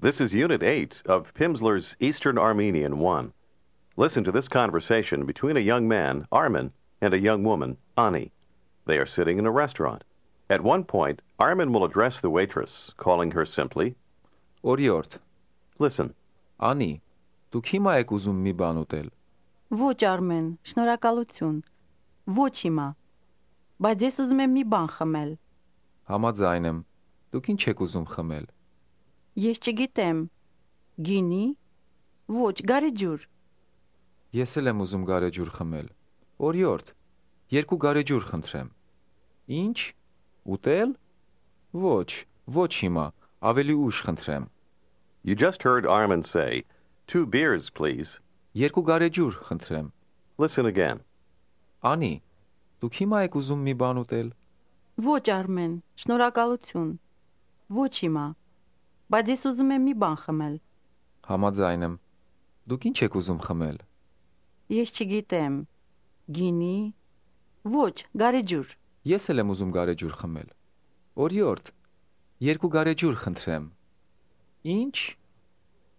This is Unit 8 of Pimsleur's Eastern Armenian 1. Listen to this conversation between a young man, Armin, and a young woman, Ani. They are sitting in a restaurant. At one point, Armin will address the waitress, calling her simply, Օրիորդ, Listen. Անի, դուք հիմա եք ուզում մի բան ուտել։ Ոչ, Արմեն, շնորհակալություն։ Ոչ հիմա։ Բայց ես ուզում եմ մի բան խմել։ Համաձայն եմ։ Դուք ինչ եք ուզում խմել։ Ես չգիտեմ։ Գինի։ Ոչ, գարեջուր։ Ես էլ եմ ուզում գարեջուր խմել։ Օրիորդ, 2 գարեջուր խնդրեմ։ Ինչ։ Ուտել։ Ոչ, ոչ հիմա, ավելի ուշ խնդրեմ։ You just heard Armin say, 2 beers, please. 2 գարեջուր խնդրեմ։ Listen again. Անի, դուք հիմա եք ուզում մի բան ուտել։ Ոչ, Արմեն, շնորհակալություն։ Ոչ հիմա։ Բայց ես ուզում եմ մի բան խմել։ Համաձայն եմ։ Դուք ինչ եք ուզում խմել։ Ես չգիտեմ։ Գինի։ Ոչ, գարեջուր։ Ես էլ եմ ուզում գարեջուր խմել։ Օրիորդ, 2 գարեջուր խնդրեմ։ Ինչ։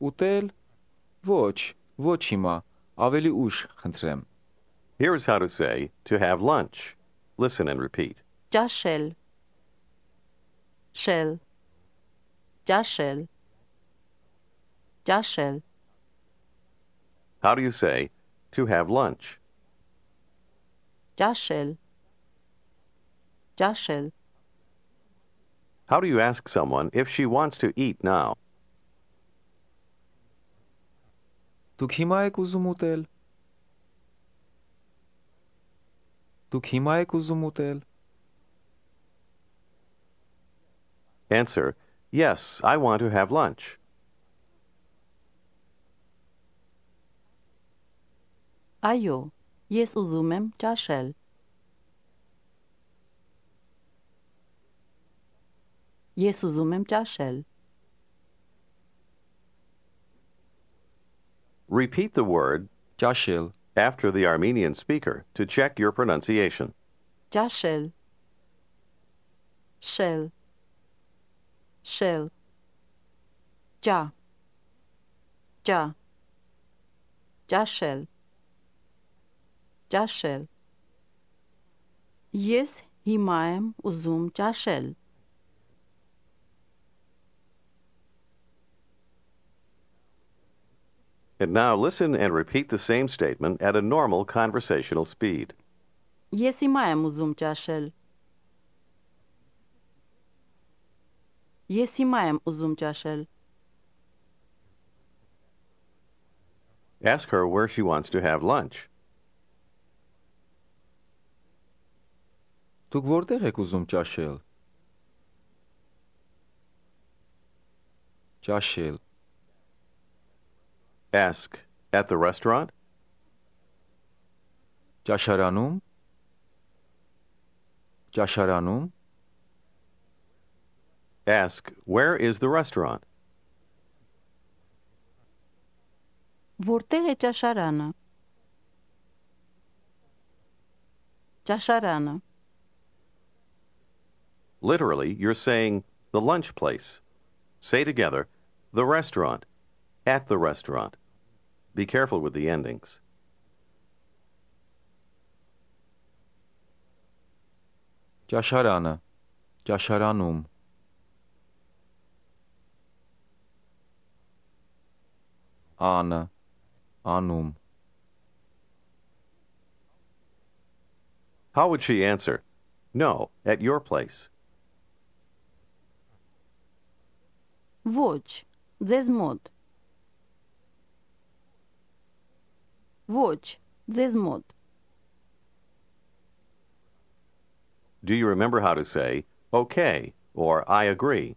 Ուտել։ Ոչ, ոչ հիմա, ավելի ուշ խնդրեմ։ Here's how to say, to have lunch. Listen and repeat. Ճաշել։ Շել։ Ճաշել։ Ճաշել։ How do you say, to have lunch? Ճաշել։ Ճաշել։ How do you ask someone if she wants to eat now? Դուք հիմա եք ուզում ուտել։ Դուք հիմա եք ուզում ուտել։ Answer, yes, I want to have lunch. Այո, ես ուզում եմ ճաշել։ Ես ուզում եմ ճաշել։ Repeat the word Ճաշել, after the Armenian speaker to check your pronunciation. Ճաշել։ Շել։ Շել։ Ճա։ Ճա։ Ճաշել։ Ճաշել։ Ես հիմա եմ ուզում ճաշել։ And now listen and repeat the same statement at a normal conversational speed. Ես հիմա եմ ուզում ճաշել։ Ես հիմա եմ ուզում ճաշել։ Ask her where she wants to have lunch. Դուք որտեղ եք ուզում ճաշել։ Ճաշել, Ask, at the restaurant? ճաշարանում։ Ճաշարանում, Ask, where is the restaurant? Որտեղ է ճաշարանը։ Ճաշարանը։ Literally, you're saying the lunch place. Say together, the restaurant, at the restaurant. Be careful with the endings. ճաշարանը, ճաշարանում։ Անը, անում։ How would she answer? No, at your place. Ոչ, ձեզ մոտ։ Ոչ, ձեզ մոտ։ Do you remember how to say, okay, or I agree?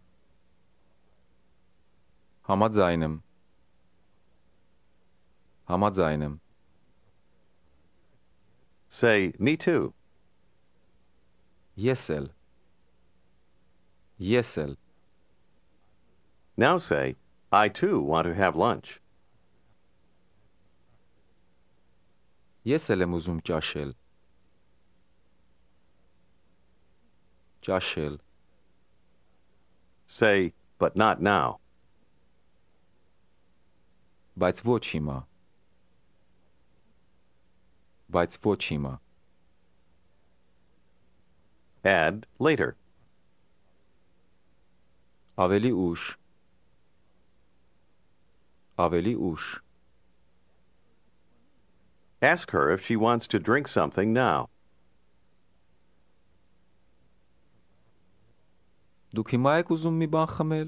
Համաձայն եմ։ Համաձայն եմ։ Say, me too. Ես էլ։ Ես էլ։ Now say, I too want to have lunch. Ես էլ եմ ուզում ճաշել։ Ճաշել, Say, but not now. Բայց ոչ հիմա։ Բայց ոչ հիմա։ Add later. Ավելի ուշ։ Ավելի ուշ։ Ask her if she wants to drink something now. Դուք հիմա եք ուզում մի բան խմել։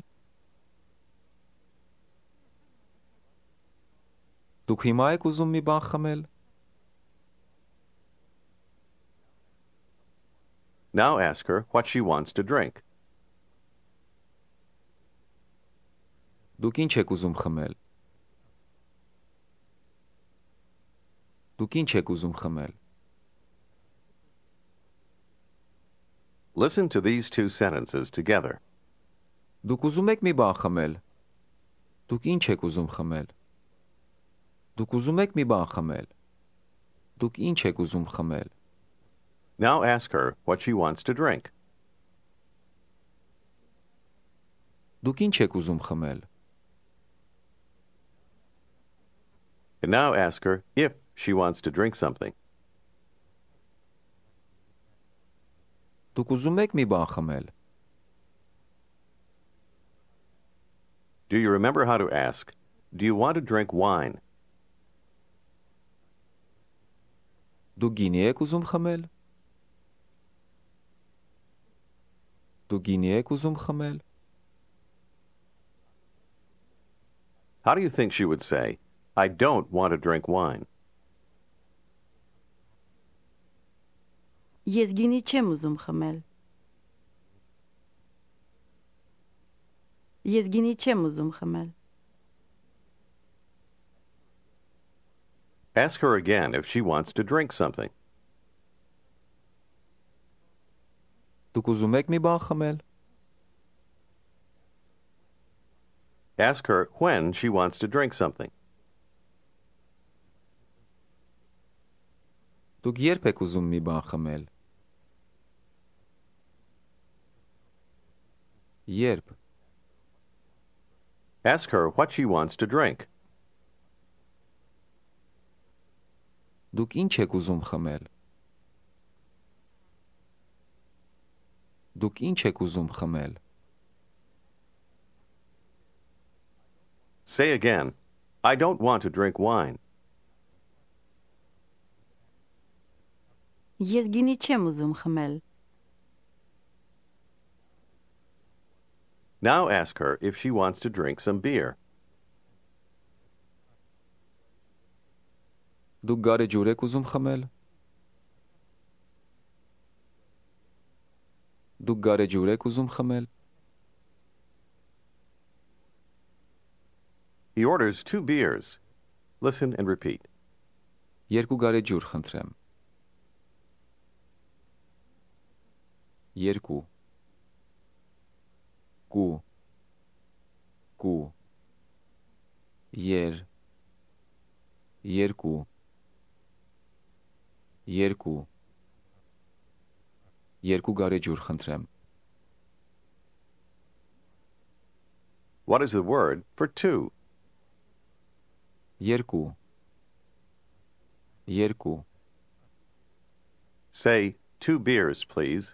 Դուք հիմա եք ուզում մի բան խմել։ Now ask her what she wants to drink. Դուք ինչ եք ուզում խմել։ Դուք ինչ եք ուզում խմել։ Listen to these two sentences together. Դուք ուզում եք մի բան խմել։ Դուք ինչ եք ուզում խմել։ Դուք ուզում եք մի բան խմել։ Դուք ինչ եք ուզում խմել։ Now ask her what she wants to drink. Դուք ինչ եք ուզում խմել։ And now ask her if she wants to drink something. Դուք ուզում եք մի բան խմել։ Do you remember how to ask, do you want to drink wine? Դուք գինի եք ուզում խմել։ Դուք գինի եք ուզում խմել։ How do you think she would say, I don't want to drink wine? Ես գինի չեմ ուզում խմել։ Ես գինի չեմ ուզում խմել։ Ask her again if she wants to drink something. Դուք ուզում եք մի բան խմել։ Ask her when she wants to drink something. Դուք երբ եք ուզում մի բան խմել։ Երբ։ Ask her what she wants to drink. Դուք ինչ եք ուզում խմել։ Դուք ինչ եք ուզում խմել։ Say again, I don't want to drink wine. Ես գինի չեմ ուզում խմել։ Now ask her if she wants to drink some beer. Դուք գարեջուր եք ուզում խմել։ Դուք գարեջուր եք ուզում խմել։ He orders 2 beers. Listen and repeat. Երկու գարեջուր խնդրեմ։ Երկու։ Կու։ Կու։ Երկու։ Երկու։ Երկու գարեջուր խնդրեմ։ What is the word for 2? Երկու։ Երկու։ Say 2 beers, please.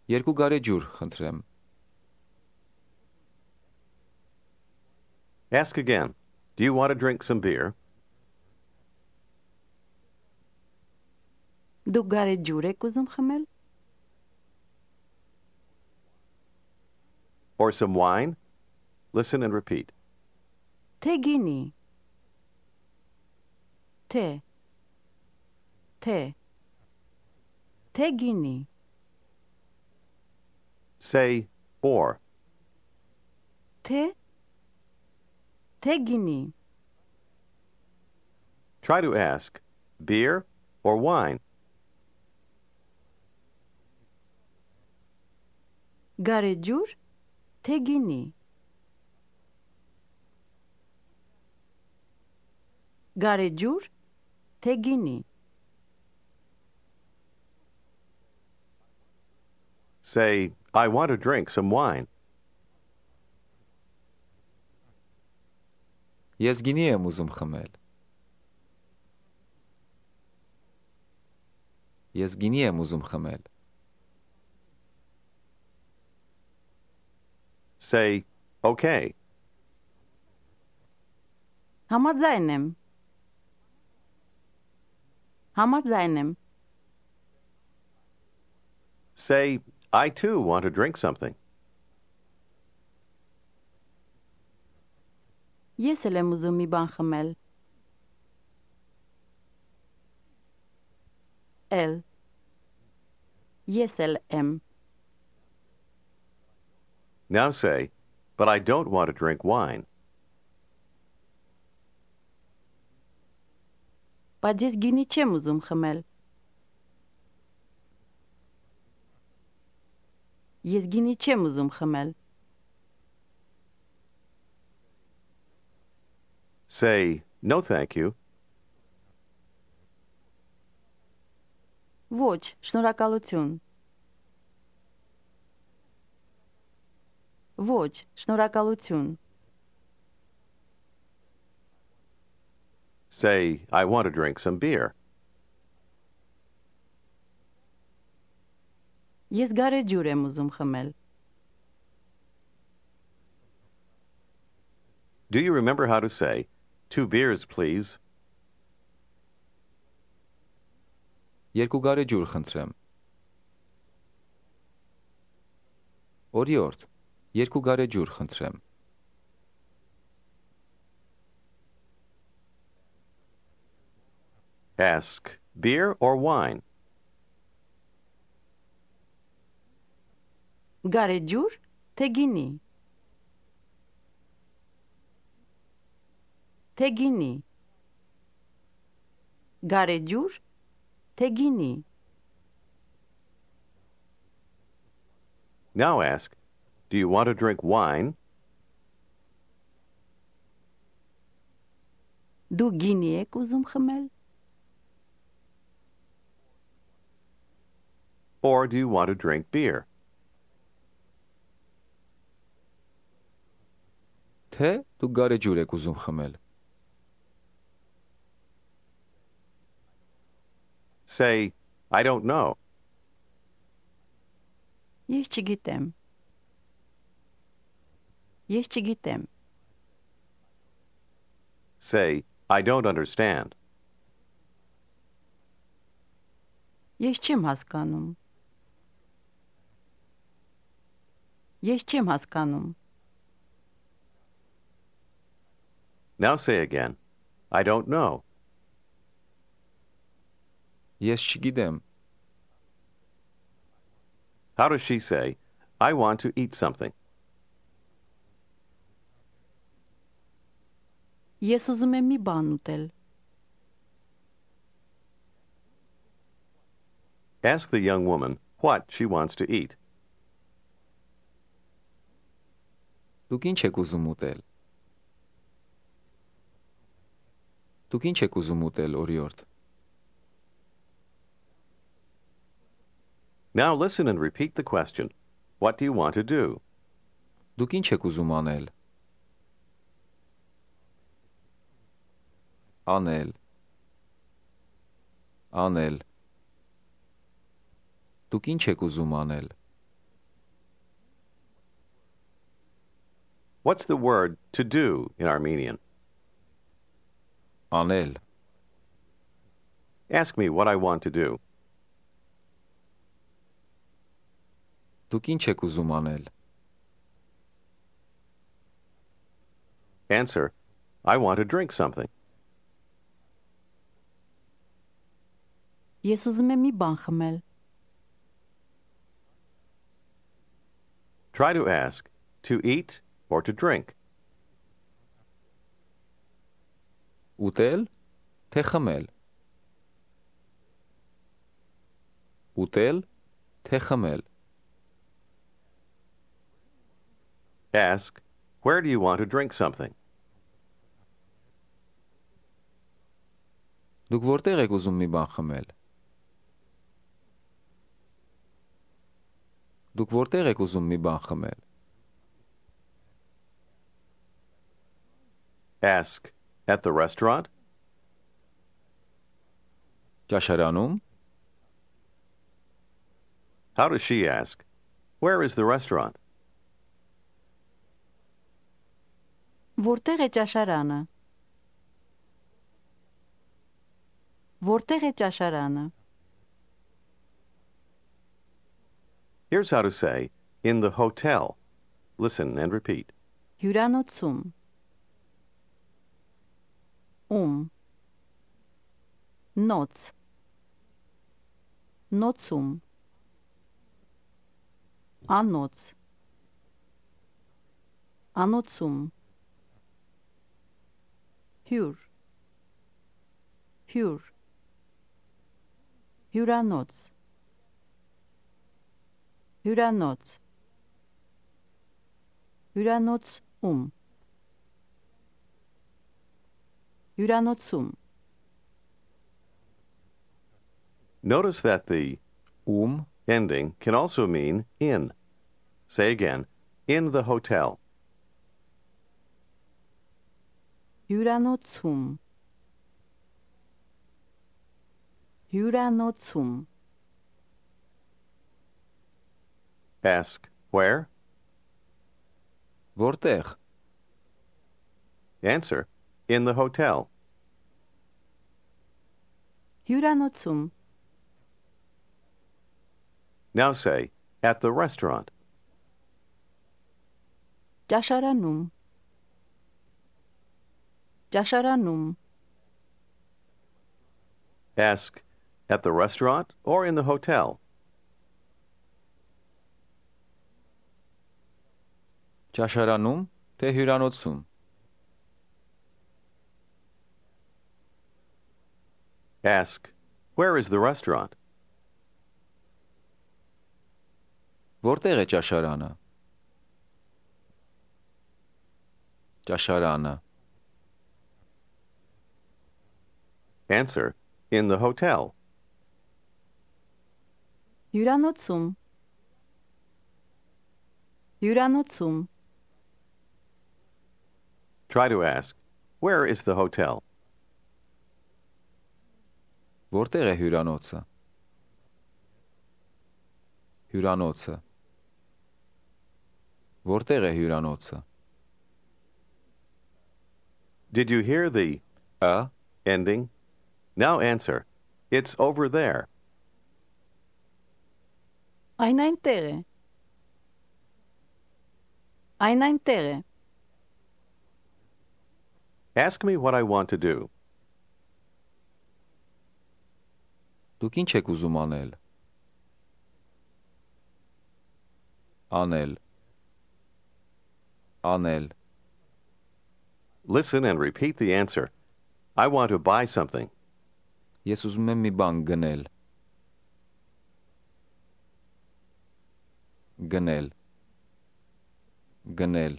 Երկու գարեջուր խնդրեմ։ Ask again. Do you want to drink some beer? Դուք գարեջուր եք ուզում խմել։ Or some wine? Listen and repeat. Թե գինի։ Թե։ Թե։ Թե գինի։ Say or. Թե։ Թե գինի։ Try to ask beer or wine. Գարեջուր, թե գինի։ Գարեջուր, թե գինի։ Say, I want to drink some wine. Ես գինի եմ ուզում խմել։ Ես գինի եմ ուզում խմել։ Say, okay. Համաձայն եմ։ Համաձայն եմ։ Say, I too want to drink something. Ես էլ եմ ուզում մի բան խմել։ Էլ։ Ես էլ եմ։ Now say, but I don't want to drink wine. Բայց ես գինի չեմ ուզում խմել։ Ես գինի չեմ ուզում խմել։ Say, no thank you. Ոչ, շնորհակալություն։ Ոչ, շնորհակալություն։ Say, I want to drink some beer. Ես գարեջուր եմ ուզում խմել։ Do you remember how to say, 2 beers, please? Երկու գարեջուր խնդրեմ։ Օրիորդ, երկու գարեջուր խնդրեմ։ Ask, beer or wine? Գարեջուր, թե գինի։ Թե գինի։ Գարեջուր, թե գինի։ Now ask, do you want to drink wine Դու գինի եք ուզում խմել։ or do you want to drink beer? Թե դու գարեջուր եք ուզում խմել։ Say, I don't know. Ես չգիտեմ։ Ես չգիտեմ։ Say, I don't understand. Ես չեմ հասկանում։ Ես չեմ հասկանում։ Now say again, I don't know. Ես չգիտեմ։ How does she say, I want to eat something? Ես ուզում եմ մի բան ուտել։ Ask the young woman what she wants to eat. Դուք ինչ եք ուզում ուտել։ Դուք ինչ եք ուզում ուտել, օրիորդ։ Now listen and repeat the question. What do you want to do? Դուք ինչ եք ուզում անել։ Անել։ Անել։ Դուք ինչ եք ուզում անել։ What's the word to do in Armenian? Անել։ Ask me what I want to do. Դուք ինչ եք ուզում անել։ Answer, I want to drink something. Ես ուզում եմ մի բան խմել։ Try to ask, to eat or to drink. Ուտել, թե խմել։ Ուտել, թե խմել։ Ask, where do you want to drink something? Դուք որտեղ եք ուզում մի բան խմել։ Դուք որտեղ եք ուզում մի բան խմել։ Ask, at the restaurant? ճաշարանում, How does she ask? Where is the restaurant? Որտեղ է ճաշարանը? Որտեղ է ճաշարանը? Here's how to say, in the hotel. Listen and repeat. Հյուրանոցում. Նոց. Նոցում. Անոց. Անոցում. Հյուր. Հյուր. Հյուրանոց. Հյուրանոց. Հյուրանոցում. Հյուրանոցում. Notice that the ending can also mean in. Say again, in the hotel. Հյուրանոցում. Հյուրանոցում. Ask, where? որտեղ, Answer, in the hotel. Հյուրանոցում. Now say, at the restaurant. ճաշարանում. ճաշարանում. Ask, at the restaurant or in the hotel. ճաշարանում, թե հյուրանոցում, Ask, where is the restaurant? որտեղ է ճաշարանը, ճաշարանը, Answer, in the hotel. Հյուրանոցում. Հյուրանոցում. Try to ask, where is the hotel? որտեղ է հյուրանոցը, հյուրանոցը, որտեղ է հյուրանոցը, Did you hear the ending? Now answer, it's over there. Այն այնտեղ է. Այն այնտեղ է. Ask me what I want to do. դուք ինչ եք ուզում անել, անել, անել, Listen and repeat the answer. I want to buy something. ես ուզում եմ մի բան գնել, գնել, գնել,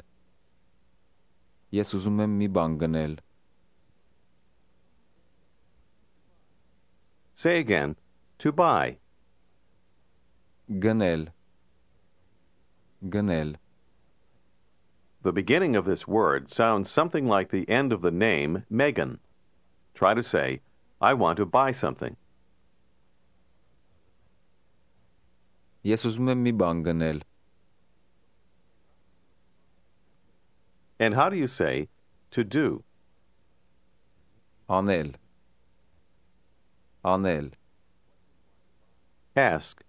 ես ուզում եմ մի բան գնել, Say again, to buy. գնել, գնել, The beginning of this word sounds something like the end of the name Megan. Try to say, I want to buy something. ես ուզում եմ մի բան գնել, And how do you say, to do? անել, անել, Ask,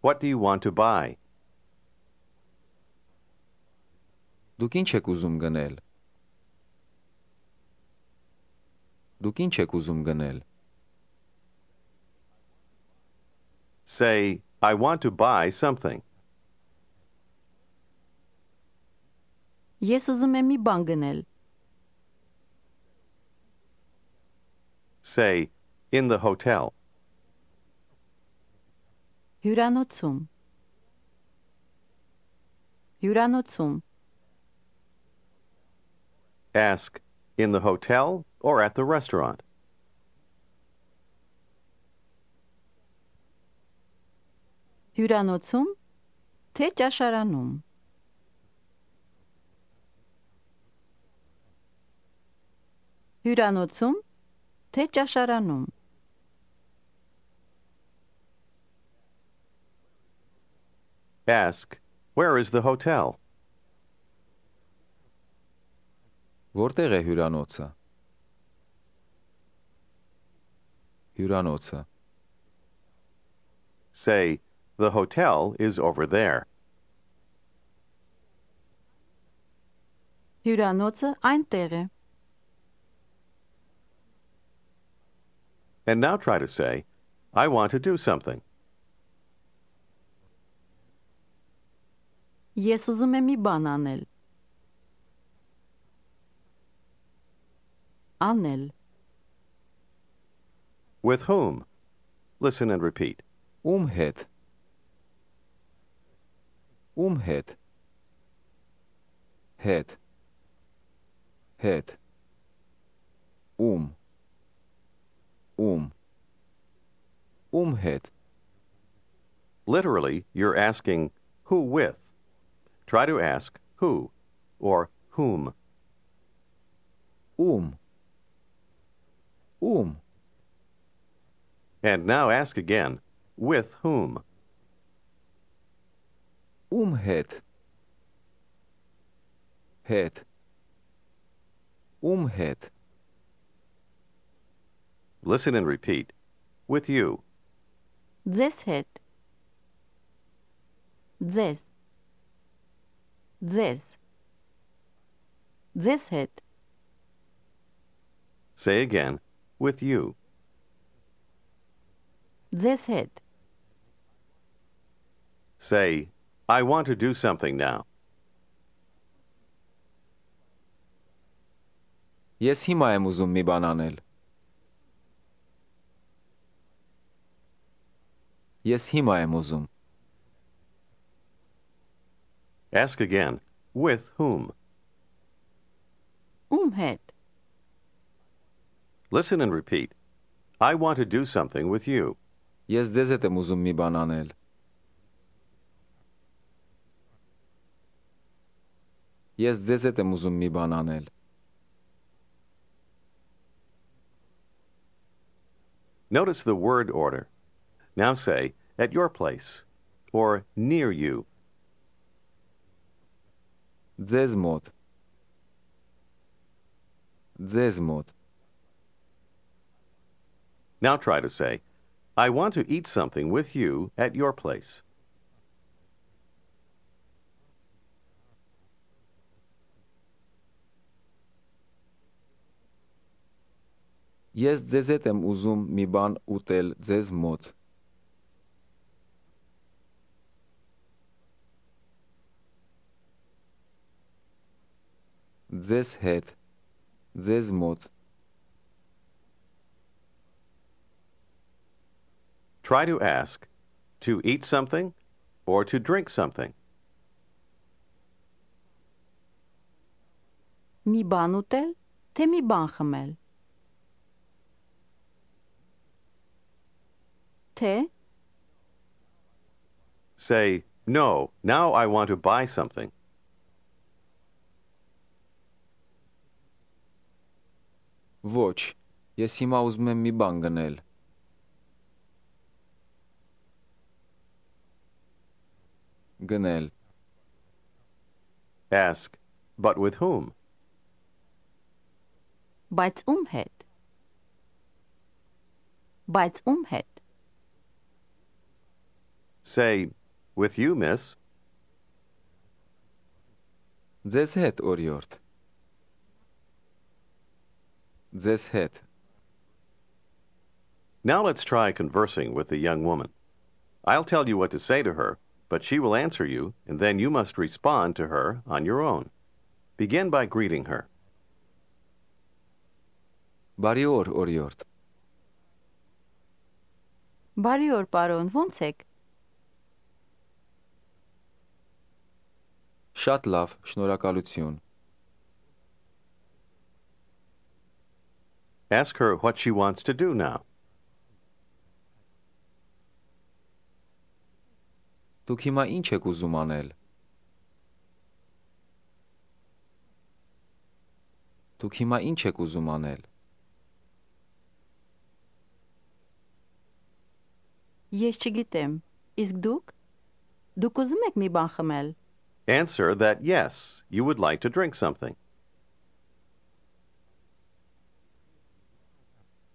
what do you want to buy? դուք ինչ եք ուզում գնել, դուք ինչ եք ուզում գնել, Say, I want to buy something. Ես ուզում եմ մի բան գնել. Say, in the hotel. Հյուրանոցում. Հյուրանոցում. Ask, in the hotel or at the restaurant. Հյուրանոցում, թե ճաշարանում. Հյուրանոցում, թե ճաշարանում։ Ask, where is the hotel? Որտեղ է հյուրանոցը։ Հյուրանոցը։ Say, the hotel is over there. Հյուրանոցը այնտեղ է։ And now try to say, I want to do something. Ես ուզում եմ մի բան անել։ Անել։ With whom? Listen and repeat. Ում հետ։ Ում հետ։ Հետ։ Հետ։ Ում։ Ում։ Ում հետ։ Literally, you're asking, who with? Try to ask, who, or whom. Ում։ Ում։ And now ask again, with whom? Ում հետ։ Հետ։ Ում հետ։ Listen and repeat. With you. Ձեզ հետ։ Ձեզ։ Ձեզ։ Ձեզ հետ։ Say again, with you. Ձեզ հետ։ Say, I want to do something now. Ես հիմա եմ ուզում մի բան անել։ Ես հիմա եմ ուզում։ Ask again, with whom? Ում հետ։ Listen and repeat. I want to do something with you. Ես ձեզ հետ եմ ուզում մի բան անել։ Ես ձեզ հետ եմ ուզում մի բան անել։ Notice the word order. Now say, at your place, or near you. Ձեզ մոտ։ Ձեզ մոտ։ Now try to say, I want to eat something with you at your place. Ես ձեզ հետ եմ ուզում մի բան ուտել ձեզ մոտ։ Ձեզ հետ։ Ձեզ մոտ։ Try to ask, to eat something or to drink something. Մի բան ուտել, թե մի բան խմել։ Թե Say, no, now I want to buy something. Ոչ, ես հիմա ուզում եմ մի բան գնել։ Գնել։ Ask, but with whom? Բայց ում հետ։ Բայց ում հետ։ Say, with you, miss. Ձեզ հետ, օրիորդ։ Ձեզ հետ։ Now let's try conversing with the young woman. I'll tell you what to say to her, but she will answer you, and then you must respond to her on your own. Begin by greeting her. Բարի օր, օրիորդ։ Բարի օր, պարոն, ո՞նց եք։ Շատ լավ, շնորհակալություն։ Ask her what she wants to do now. Դուք հիմա ինչ եք ուզում անել։ Դուք հիմա ինչ եք ուզում անել։ Ես չգիտեմ։ Իսկ դուք։ Դուք ուզում եք մի բան խմել։ Answer that yes, you would like to drink something.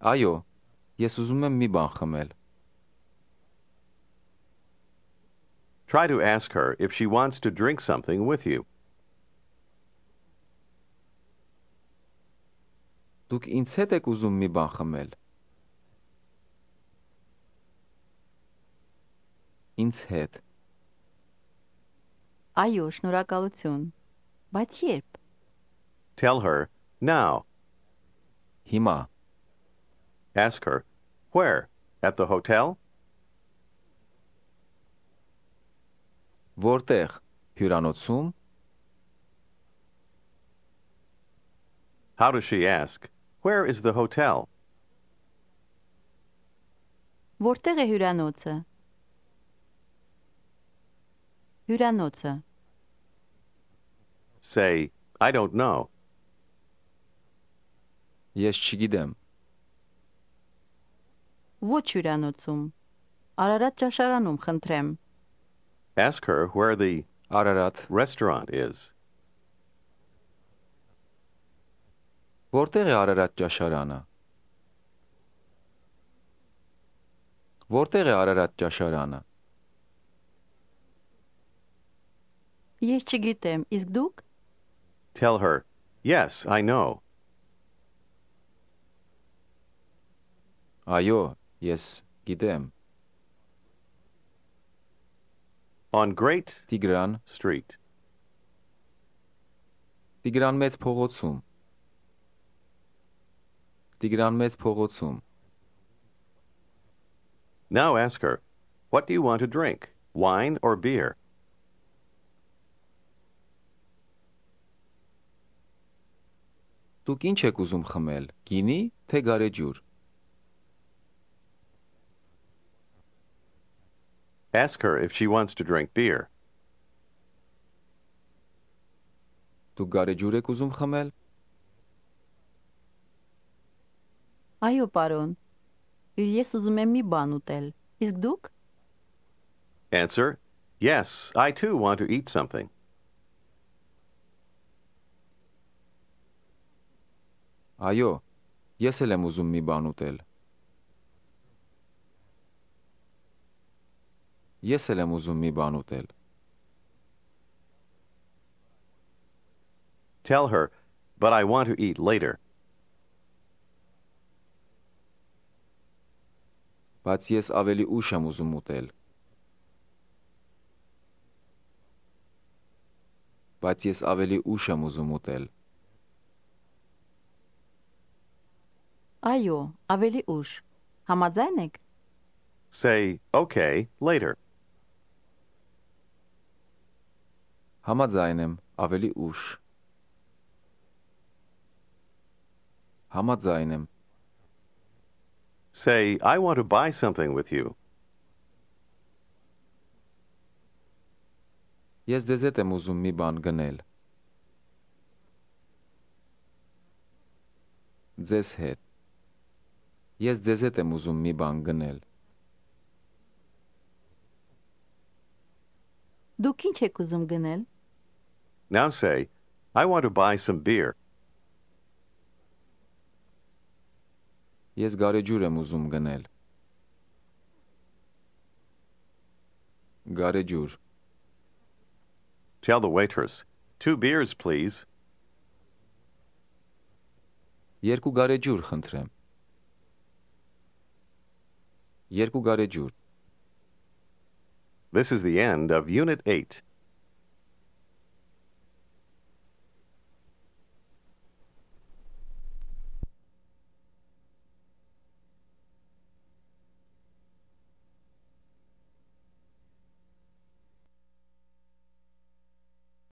Այո, ես ուզում եմ մի բան խմել։ Try to ask her if she wants to drink something with you. Դուք ինձ հետ եք ուզում մի բան խմել։ Ինձ հետ։ Այո, շնորհակալություն։ Բայց երբ։ Tell her now. Հիմա։ Ask her where? At the hotel? Որտեղ։ Հյուրանոցում։ How does she ask? Where is the hotel? Որտեղ է հյուրանոցը։ Հյուրանոցը։ Say, I don't know. Ես չգիտեմ։ Ոչ հյուրանոցում։ Արարատ ճաշարանում, խնդրեմ։ Ask her where the Արարատ։ restaurant is. Որտեղ է Արարատ ճաշարանը։ Որտեղ է Արարատ ճաշարանը։ Ես չգիտեմ, իսկ դուք։ Tell her, yes, I know. Այո, ես գիտեմ։ On Great Տիգրան, Street. Տիգրան մեծ փողոցում։ Տիգրան մեծ փողոցում։ Now ask her, what do you want to drink? Wine or beer? Դուք ինչ եք ուզում խմել։ Գինի, թե գարեջուր։ Ask her if she wants to drink beer. Դուք գարեջուր եք ուզում խմել։ Այո, պարոն։ Ես ուզում եմ մի բան ուտել։ Իսկ դուք։ Answer, yes, I too want to eat something. Այո, ես էլ եմ ուզում մի բան ուտել։ Ես էլ եմ ուզում մի բան ուտել։ Tell her, but I want to eat later. Բայց ես ավելի ուշ եմ ուզում ուտել։ Բայց ես ավելի ուշ եմ ուզում ուտել։ Այո, ավելի ուշ։ Համաձայն եք։ Say, okay, later. Համաձայն եմ, ավելի ուշ։ Համաձայն եմ։ Say, I want to buy something with you. Ես ձեզ հետ եմ ուզում մի բան գնել։ Ձեզ հետ։ Ես ձեզ հետ եմ ուզում մի բան գնել։ Դուք ինչ եք ուզում գնել։ Now say, I want to buy some beer. Ես գարեջուր եմ ուզում գնել։ Գարեջուր։ Tell the waitress, 2 beers, please. Երկու գարեջուր խնդրեմ։ Երկու գարեջուր։ This is the end of Unit 8.